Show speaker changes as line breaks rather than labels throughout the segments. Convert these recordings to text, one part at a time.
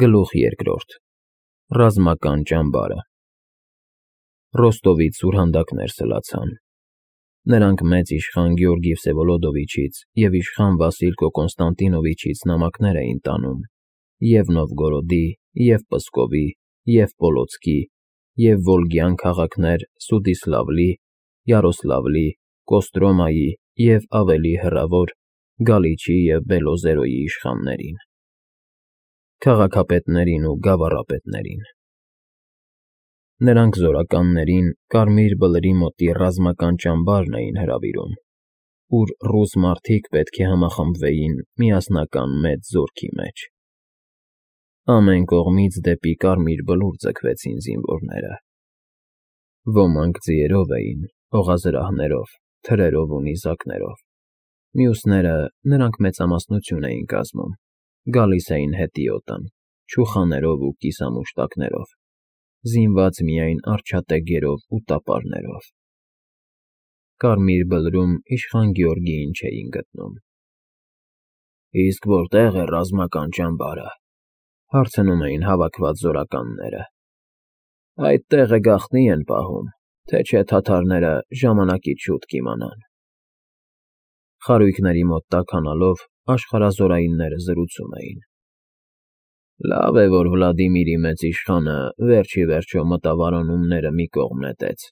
Գլուխ երկրորդ Ռազմական ճամբարը Ռոստովից սուրհանդակներ սլացան։ Նրանք մեծ իշխան Գեորգի Վսևոլոդովիչից և իշխան Վասիլկո Կոնստանտինովիչից նամակներ էին տանում և Նովգորոդի, և Պսկովի, և Պոլոցկի, և Վոլգյան քաղաքներ Սուդիսլավլի, Յարոսլավլի, Կոստրոմայի և ավելի հեռավոր Գալիչի և Բելոզերոյի իշխաններին, քաղաքապետերին ու գավառապետերին։ Նրանք զորականներին Կարմիր Բլրի մոտի ռազմական ճամբարն էին հրավիրում, ուր ռուս մարդիկ պետք է համախմբվեին միասնական մեծ զորքի մեջ։ Ամեն կողմից դեպի Կարմիր Բլուր ձգվեցին զինվորները։ Ոմանք ձիերով էին, օղազրահներով, թրերով ու նիզակներով, մյուսները (նրանք մեծամասնություն էին կազմում) գալիս էին հետիոտն, չուխաներով ու կիսամուշտակներով, զինված միայն արջատեգերով ու տապարներով։ Կարմիր Բլրում իշխան Գեորգիին չէին գտնում։ «Իսկ որտե՞ղ է ռազմական ճամբարը,֊ հարցնում էին հավաքված զորականները։ «Այդ տեղը գաղտնի են պահում, թե չէ թաթարները ժամանակից շուտ կիմանան»։ Խարույկների մոտ տաքանալով աշխարհազորայինները զրուցում էին։ «Լավ է, որ Վլադիմիրի մեծ իշխանը վերջ ի վերջո մտավարոնումները մի կողմ նետեց։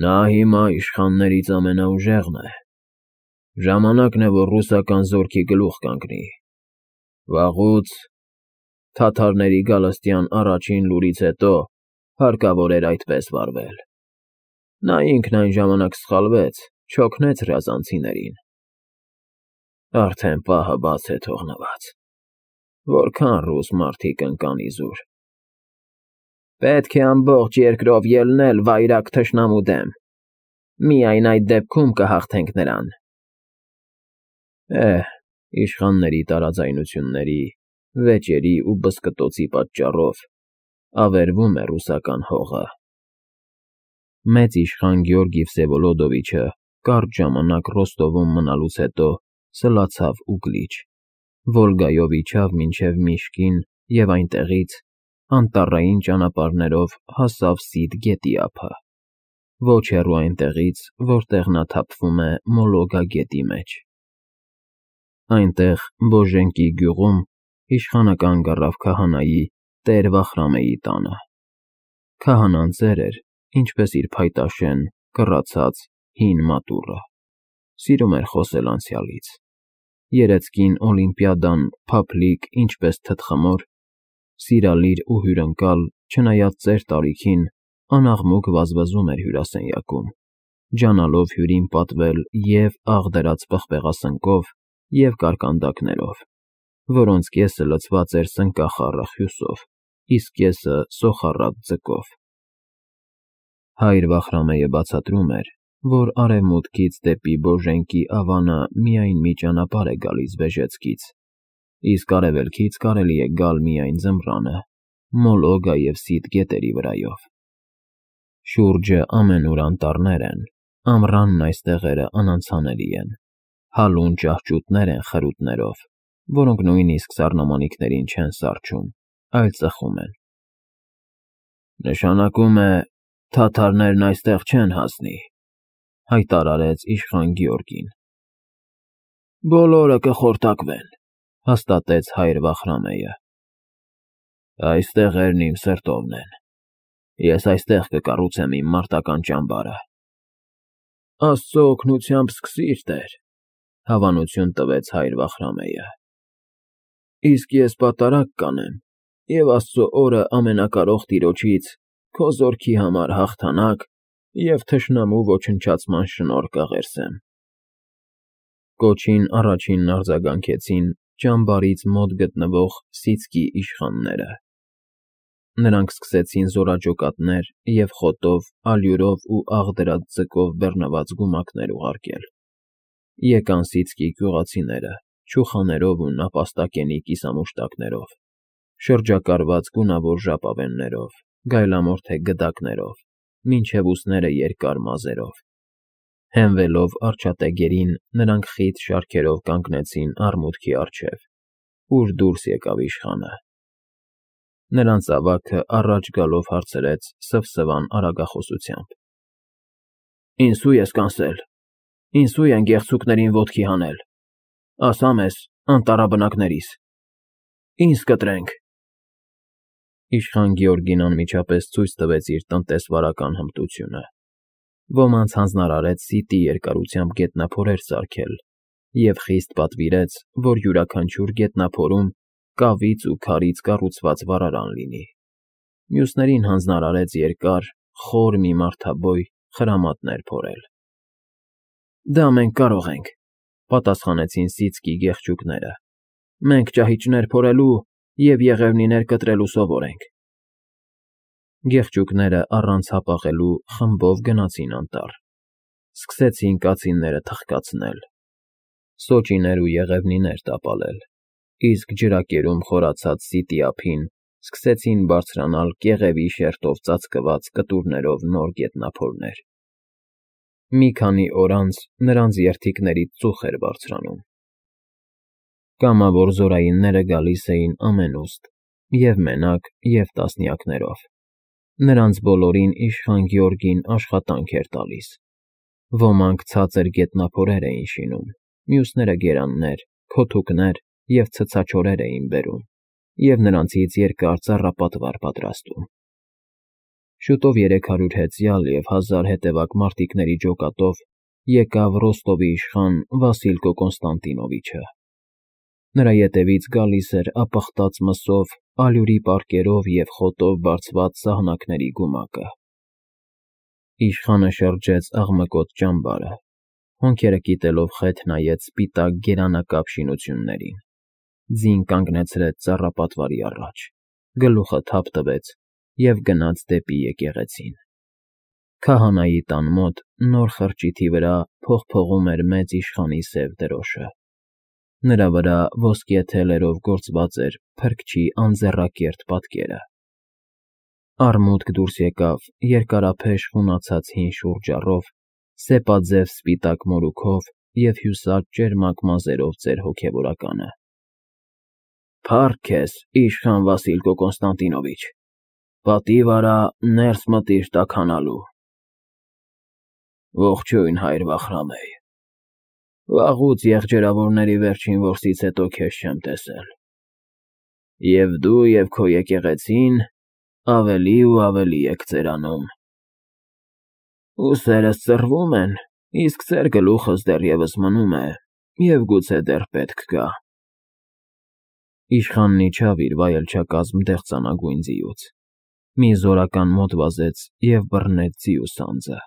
Նա հիմա իշխաններից ամենաուժեղն է։ Ժամանակն է, որ ռուսական զորքի գլուխ կանգնի։ Վաղուց, թաթարների գալստյան առաջին լուրից հետո, հարկավոր էր այդպես վարվել։ Նա ինքն այն ժամանակ սխալվեց, չօգնեց ռազանցիներին։ Արդեն պահը բաց է թողնված։ Որքան ռուս մարդիկ ընկան իզուր։ Պետք է ամբողջ երկրով ելնել վայրագ թշնամու դեմ։ Միայն այդ դեպքում կհաղթենք նրան։ Իշխանների տարաձայնությունների, վեճերի ու բզկտոցի պատճառով ավերվում է ռուսական հողը։ Մեծ իշխան Գեորգի Վսևոլոդովիչը կարճ ժամանակ Ռոստովում մնալուց հետո սլացավ Ուգլիչ, Վոլգայով իջավ մինչև Միշկին և այնտեղից անտառային ճանապարհներով հասավ Սիդ գետի ափը, ոչ հեռու այնտեղից, որտեղ նա թափվում է Մոլոգա գետի մեջ։ Այնտեղ, Բոժենկի գյուղում, իշխանը կանգ առավ քահանայի տեր Վախրամեի տանը։ Քահանան ծեր էր, ինչպես իր փայտաշեն, կռացած, հին մատուռը, սիրում էր խոսել անցյալից։ Երեծկին Օլիմպիադան փափլիկ, ինչպես թտխմոր, սիրալիր ու հյուրընկալ, չնայած ծեր տարիքին, անաղմուկ վազվզում էր հյուրասենյակում, ջանալով հյուրին պատվել և աղ պղպեղասնկով, և կարկանդակներով, որոնց կեսը լցված էր սնկախառը խյուսով, իսկ կեսը սոխառատ ձկով։ Հայր Վախրամեյը բացատրում էր, որ արևմուտքից դեպի Բոժենկի ավանը միայն մի ճանապարհ է գալիս Բեժեցկից, իսկ արևելքից կարելի է գալ միայն ձմռանը, Մոլոգա և Սիդ գետերի վրայով։ Շուրջը ամենուր անտառներ են, ամռանն այս տեղերը անանցանելի են, հալուն ճահճուտներ են խրութներով, որոնք նույնիսկ սառնամանիքներին չեն սառչում, այլ ծխում են։ Նշանակում է, թաթարներն այստեղ չեն հասնի, հայտարարեց իշխան Գեորգին։ Բոլորը կխորտակվեն, հաստատեց հայր Վախրամեյը։ Այս տեղերն իմ սրտովն են։ Ես այստեղ կկառուցեմ իմ մարտական ճամբարը։ Աստծո օգնությամբ սկսիր, տեր, հավանություն տվեց հայր Վախրամեյը։ Իսկ ես պատարակ կանեմ և Աստծո օրը ամենակարող Տիրոջից քո զորքի համար հաղթանակ և թշնամու ոչնչացման շնորհ կաղերսեմ։ Կոչին առաջինն արձագանքեցին ճամբարից մոտ գտնվող Սիցկի իշխանները։ Նրանք սկսեցին զորաճոկատներ և խոտով, ալյուրով ու աղդրած ձկով բեռնված գումակներ ուղարկել։ Եկան Սիցկի գյուղացիները, չուխաներով ու նապաստակենի կիսամուշտակներով, շրջակալված գունավոր ժապավեններով, գայլամորթե գդակներով, մինչև ուսները երկար մազերով։ Հենվելով արջատեգերին, նրանք խիտ շարքերով կանգնեցին առմուտքի առջև, ուր դուրս եկավ իշխանը։ Նրանց ավագը առաջ գալով հարցրեց սվսվան արագախոսությամբ. Ինսու ես կանսել, ինսու են գեղցուկներին ոտքի հանել, ասա մեզ, անտառաբնակներիս, ինձ կտրենք։ Իշխան Գեորգին անմիջապես ցույց տվեց իր տնտեսվարական հմտությունը։ Ոմանց հանձնարարեց սիտի երկարությամբ գետնափորեր սարքել և խիստ պատվիրեց, որ յուրաքանչյուր գետնափորում կավից ու քարից կառուցված վառարան լինի։ Մյուսներին հանձնարարեց երկար, խոր մի մարդաբոյ խրամատներ փորել։ Դա մենք կարող ենք, պատասխանեցին սիցկի գեղչուկները։ Մենք ճահիճներ փորելու և եղևնիներ կտրելու սովոր ենք։ Գեղչուկները առանց հապաղելու խմբով գնացին անտառ։ Սկսեցին կացինները թխկացնել, սոճիներ ու եղևնիներ տապալել, իսկ ջրակերում խորացած սիտի ափին սկսեցին բարձրանալ կեղևի շերտով ծածկված կտուրներով նոր գետնափորներ։ Մի քանի օր անց նրանց երդիքներից ծուխ էր բարձրանում։ Կամավոր զորայինները գալիս էին ամենուստ, և մենակ, և տասնյակներով։ Նրանց բոլորին իշխան Գեորգին աշխատանք էր տալիս։ Ոմանք ցածր գետնափորեր էին շինում, մյուսները գերաններ, քոթուկներ և ցցաչորեր էին բերում, և նրանցից երկար ծառապատվար պատրաստում։ Շուտով 300 հեծյալ և 1000 հետևակ մարտիկների ջոկատով եկավ Ռոստովի իշխան Վասիլկո Կոնստանտինովիչը։ Նրա ետևից գալիս էր ապխտած մսով, ալյուրի պարկերով և խոտով բարձված սահնակների գումակը։ Իշխանը շրջեց աղմկոտ ճամբարը, հոնքերը կիտելով խեթ նայեց սպիտակ գերանակապ շինություններին, ձին կանգնեցրեց ծառապատվարի առաջ, գլուխը թափ տվեց և գնաց դեպի եկեղեցին։ Քահանայի տան մոտ նոր խրճիթի վրա փողփողում էր մեծ իշխանի սև դրոշը։ Նրա վրա ոսկե թելերով գործված էր փրկչի անձեռակերտ պատկերը։ Արմուտք դուրս եկավ երկարափեշ խունացած հին շուրջառով, սեպաձև սպիտակ մորուքով և հյուսած ճերմակ մազերով ծեր հոգևորականը։ Փառք քեզ, իշխան Վասիլկո Կոնստանտինովիչ, պատիվ արա ներս մտիր տաքանալու։ Ողջույն, հայր Վախրամեյ, վաղուց եղջերավորների վերջին որսից հետո քեզ չեմ տեսել, և դու և քո եկեղեցին ավելի ու ավելի եք ծերանում։ Ուսերս ծռվում են, իսկ ծեր գլուխս դեռևս մնում է և գուցե դեռ պետք գա։ Իշխանն իջավ իր վայելչակազմ դեղծանագույն ձիուց, մի զորական մոտ վազեց և բռնեց ձիու սանձը։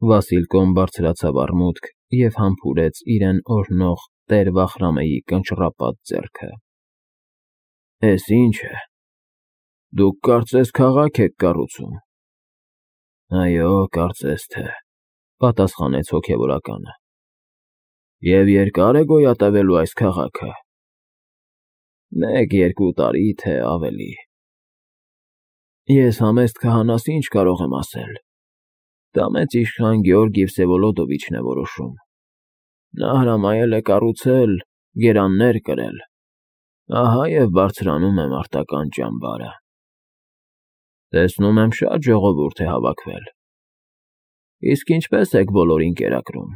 Վասիլկոն բարձրացավ արմուտք և համբուրեց իրեն օրհնող տեր Վախրամեյի կնճռապատ ձեռքը։ Էս ի՞նչ է, դուք կարծես քաղաք եք կառուցում։ Այո, կարծես թե, պատասխանեց հոգևորականը։ Եվ երկա՞ր է գոյատևելու այս քաղաքը։ 1-2 տարի, թե ավելի։ Ես համեստ քահանաս ինչ կարող եմ ասել։ Դա մեծ իշխան Գեորգի Վսևոլոդովիչն է որոշում։ Նա հրամայել է կառուցել, գերաններ կրել, ահա և բարձրանում է մարտական ճամբարը։ Տեսնում եմ շատ ժողովուրդ է հավաքվել։ Իսկ ինչպե՞ս եք բոլորին կերակրում։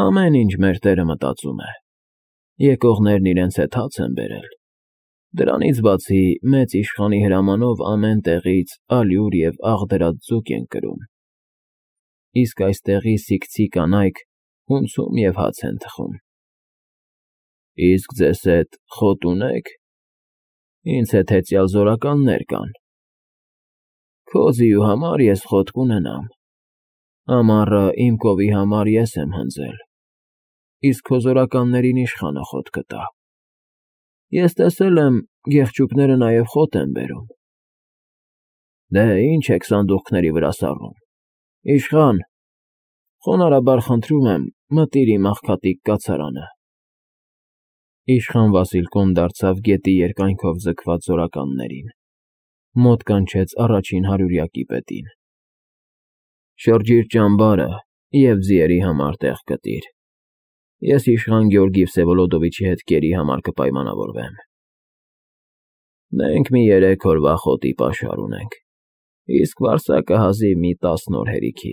Ամեն ինչ մեր տերը մտածում է։ Եկողներն իրենց հետ հաց են բերել։ Դրանից բացի մեծ իշխանի հրամանով ամեն տեղից ալյուր և աղդրած ձուկ են կրում։ Իսկ այստեղի սիկցի կանայք հունցում և հաց են թխում։ Իսկ ձեզ հետ խոտ ունե՞ք։ Ինձ հետ հեծյալ զորականներ կան։ Քո ձիու համար ես խոտ կունենամ։ Ամառը իմ կովի համար ես եմ հնձել, իսկ քո զորականներին իշխանը խոտ կտա։ Ես տեսել եմ, գեղչուկները նաև խոտ են բերում։ Դե, ինչ եք սանդուղքների վրա սառում։ Իշխան, խոնարհաբար խնդրում եմ, մտիր իմ աղքատիկ կացարանը։ Իշխան Վասիլկոն դարձավ գետի երկայնքով ձգված զորականներին, մոտ կանչեց առաջին հարյուրյակի պետին։ Շրջիր ճամբարը և ձիերի համար տեղ գտիր։ Ես իշխան Գեորգի Վսևոլոդովիչի հետ կերի համար կպայմանավորվեմ։ Մենք մի 3 օրվա խոտի պաշար ունենք, իսկ վարձակը հազիվ մի 10 օր հերիքի։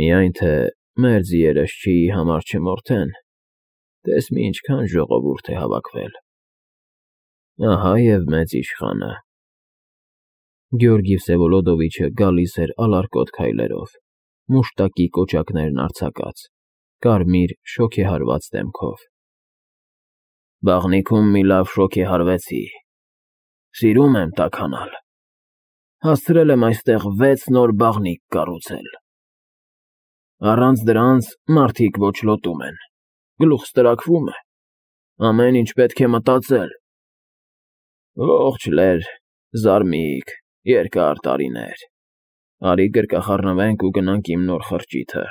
Միայն թե մեր ձիերըշչիի համար չմորթեն, տես մի ինչքան ժողովուրդ է հավաքվել։ Ահա և մեծ իշխանը։ Գեորգի Վսևոլոդովիչը գալիս էր ալարկոտ քայլերով, մուշտակի կոճակներն արձակած, կարմիր շոգեհարված դեմքով։ Բաղնիքում մի լավ շոգեհարվեցի, սիրում եմ տաքանալ, հասցրել եմ այստեղ 6 նոր բաղնիք կառուցել։ Առանց դրանց մարդիկ ոչլոտում են, գլուխս տրաքվում է, ամեն ինչ պետք է մտածել։ Ողջ լեր, զարմիկ, երկար տարիներ, արի գրկախառնվենք ու գնանք իմ նոր խրճիթը։